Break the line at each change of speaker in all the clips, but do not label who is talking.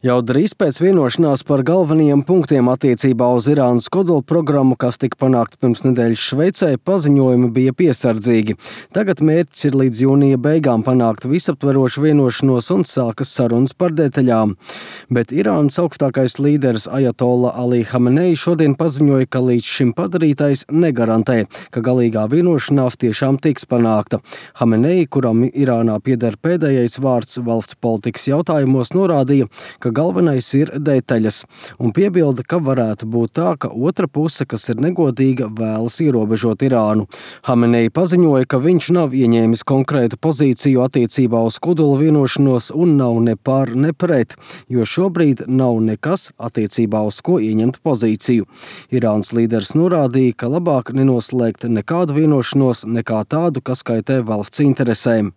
Jau drīz pēc vienošanās par galvenajiem punktiem attiecībā uz Irānas kodolprogrammu, kas tika panākta pirms nedēļas Šveicē, paziņojumi bija piesardzīgi. Tagad mērķis ir līdz jūnija beigām panākt visaptverošu vienošanos un sākas sarunas par detaļām. Bet Irānas augstākais līderis Ajatolla Ali Hamenei šodien paziņoja, ka līdz šim padarītais negarantē, ka galīgā vienošanās tiešām tiks panākta. Hamenei, kuram Irānā pieder pēdējais vārds valsts politikas jautājumos, norādīja, ka galvenais ir detaļas, un piebilda, ka varētu būt tā, ka otra puse, kas ir negodīga, vēlas ierobežot Irānu. Hamenei paziņoja, ka viņš nav ieņēmis konkrētu pozīciju attiecībā uz kodola vienošanos un nav ne par, ne pret, jo šobrīd nav nekas attiecībā uz ko ieņemt pozīciju. Irānas līderis norādīja, ka labāk nenoslēgt nekādu vienošanos, nekā tādu, kas kaitē valsts interesēm.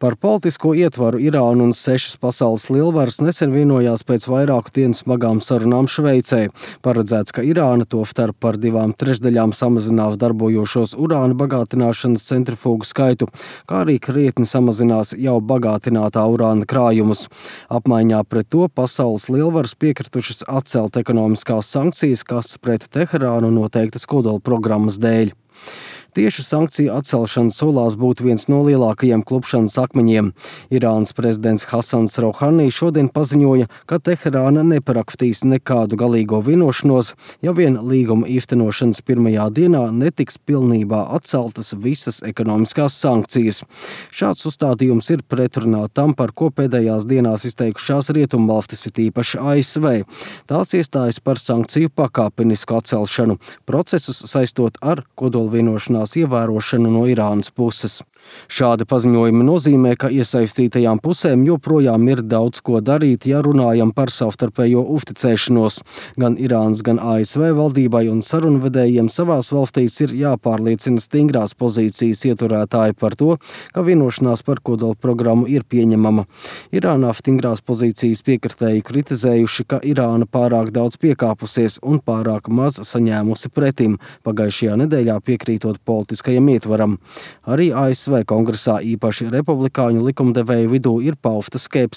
Par politisko ietvaru Irāna un 6 pasaules lielvaras nesen vienojās pēc vairāku dienu smagām sarunām Šveicē. Paredzēts, ka Irāna tostarp par 2/3 samazinās darbojošos urāna bagātināšanas centrifūgu skaitu, kā arī krietni samazinās jau bagātinātā urāna krājumus. Apmaiņā pret to pasaules lielvaras piekritušas atcelt ekonomiskās sankcijas, kas pret Teherānu noteiktas kodola programmas dēļ. Tieši sankciju atcelšana solās būt viens no lielākajiem klupšanas akmeņiem. Irānas prezidents Hasans Rouhani šodien paziņoja, ka Teherāna neparakstīs nekādu galīgo vienošanos, ja vien līguma īstenošanas pirmajā dienā netiks pilnībā atceltas visas ekonomiskās sankcijas. Šāds uzstādījums ir pretrunā tam, par ko pēdējās dienās izteikušās rietumvalstis, it īpaši ASV. Tās iestājas par sankciju pakāpenisku atcelšanu, procesus saistot ar kodolvienošanās ievērošanu no Irānas puses. Šādi paziņojumi nozīmē, ka iesaistītajām pusēm joprojām ir daudz ko darīt, ja runājam par savstarpējo uzticēšanos. Gan Irānas, gan ASV valdībai un sarunvedējiem savās valstīs ir jāpārliecina stingrās pozīcijas ieturētāji par to, ka vienošanās par kodola programmu ir pieņemama. Irānā stingrās pozīcijas piekritēji kritizējuši, ka Irāna pārāk daudz piekāpusies un pārāk maz saņēmusi pretim, pagājušajā nedēļā piekrītot politiskajam ietvaram. Arī ASV Kongresā īpaši republikāņu likumdevēju vidū ir pausta skepse